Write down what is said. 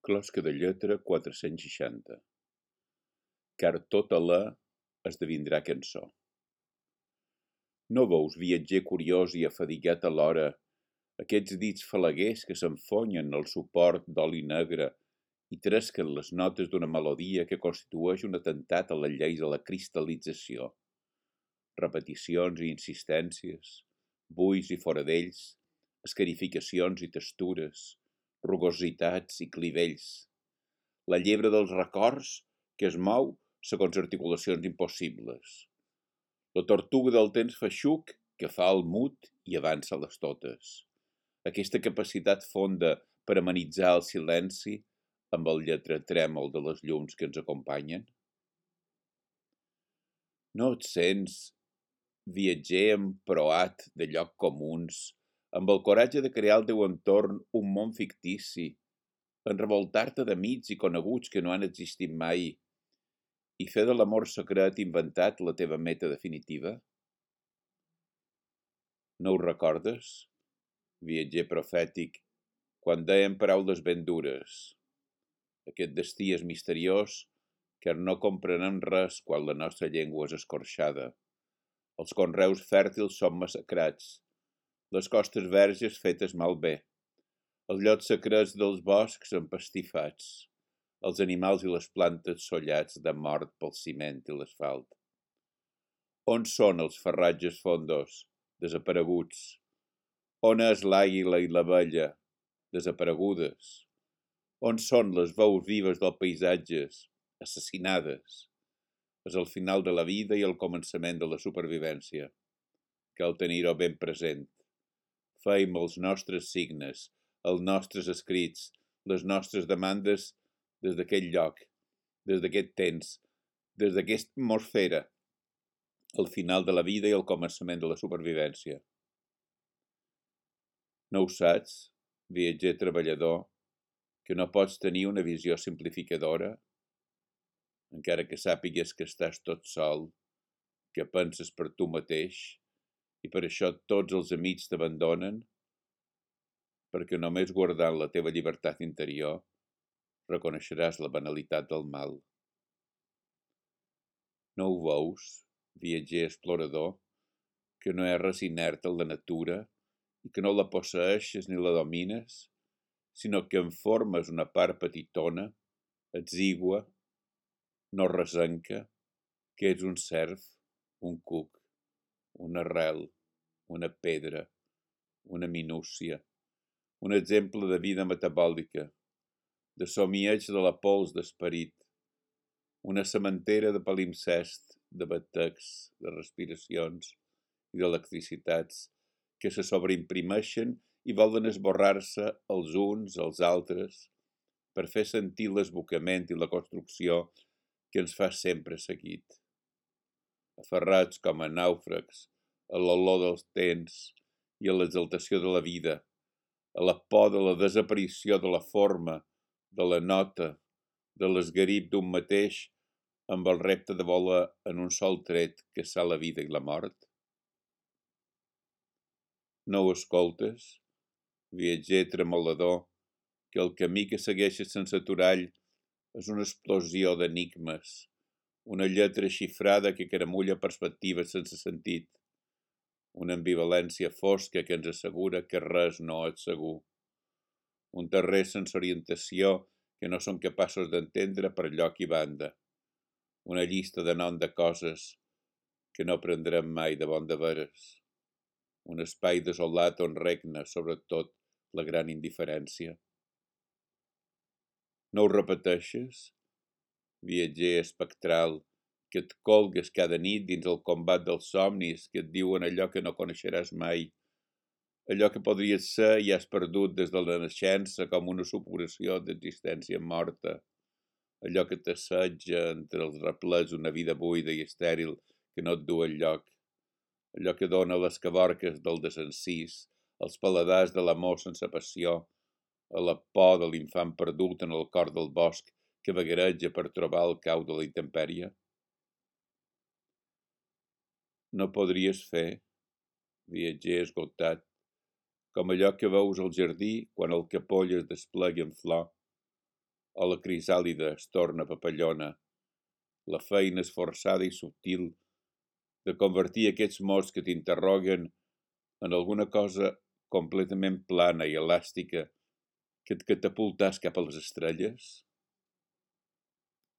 Closca de lletra 460. Car tot alè esdevindrà cançó. No veus, viatger curiós i afadigat alhora, aquests dits falaguers que s'enfonyen al suport d'oli negre i tresquen les notes d'una melodia que constitueix un atemptat a les lleis de la cristal·lització. Repeticions i insistències, buis i fora d'ells, escarificacions i textures, rugositats i clivells. La llebre dels records que es mou segons articulacions impossibles. La tortuga del temps feixuc que fa el mut i avança les totes. Aquesta capacitat fonda per amenitzar el silenci amb el lletre trèmol de les llums que ens acompanyen. No et sents, viatger emproat de lloc comuns, amb el coratge de crear al teu entorn un món fictici, en revoltar-te d'amics i coneguts que no han existit mai, i fer de l'amor secret inventat la teva meta definitiva? No ho recordes, viatger profètic, quan dèiem paraules ben dures? Aquest destí és misteriós, car no comprenem res quan la nostra llengua és escorxada. Els conreus fèrtils són massacrats, les costes verges fetes malbé, els llocs secrets dels boscs empastifats, els animals i les plantes sollats de mort pel ciment i l'asfalt. On són els farratges fondos, desapareguts? On és l'àguila i l'abella, desaparegudes? On són les veus vives dels paisatges, assassinades? És el final de la vida i el començament de la supervivència. Cal tenir-ho ben present. Feim els nostres signes, els nostres escrits, les nostres demandes des d'aquest lloc, des d'aquest temps, des d'aquesta atmosfera, el final de la vida i el començament de la supervivència. No ho saps, viatger treballador, que no pots tenir una visió simplificadora, encara que sàpigues que estàs tot sol, que penses per tu mateix, i per això tots els amics t'abandonen, perquè només guardant la teva llibertat interior reconeixeràs la banalitat del mal. No ho veus, viatger explorador, que no és res inert en la natura i que no la posseeixes ni la domines, sinó que en formes una part petitona, exigua, no resenca, que ets un cerf, un cuc, una arrel, una pedra, una minúcia, un exemple de vida metabòlica, de somieig de la pols d'esperit, una sementera de palimpsest, de batecs, de respiracions i d'electricitats que se sobreimprimeixen i volen esborrar-se els uns als altres per fer sentir l'esbocament i la construcció que ens fa sempre seguit. Aferrats com a nàufrags a l'olor dels temps i a l'exaltació de la vida, a la por de la desaparició de la forma, de la nota, de l'esgarip d'un mateix amb el repte de voler en un sol tret caçar la vida i la mort? No ho escoltes, viatger tremolador, que el camí que segueixes sense aturall és una explosió d'enigmes, una lletra xifrada que caramulla perspectives sense sentit, una ambivalència fosca que ens assegura que res no és segur, un terrer sense orientació que no som capaços d'entendre per lloc i banda, una llista de nom de coses que no prendrem mai de bon de veres, un espai desolat on regna, sobretot, la gran indiferència. No ho repeteixes, viatger espectral, que et colgues cada nit dins el combat dels somnis que et diuen allò que no coneixeràs mai, allò que podries ser i has perdut des de la naixença com una supuració d'existència morta, allò que t'assetja entre els replets una vida buida i estèril que no et du enlloc, allò que dona les cavorques del desencís, els paladars de l'amor sense passió, a la por de l'infant perdut en el cor del bosc que vagareja per trobar el cau de la intempèrie? No podries fer, viatger esgotat, com allò que veus al jardí quan el capoll es desplega en flor, o la crisàlida es torna papallona. La feina esforçada i subtil de convertir aquests mots que t'interroguen en alguna cosa completament plana i elàstica que et catapultàs cap a les estrelles?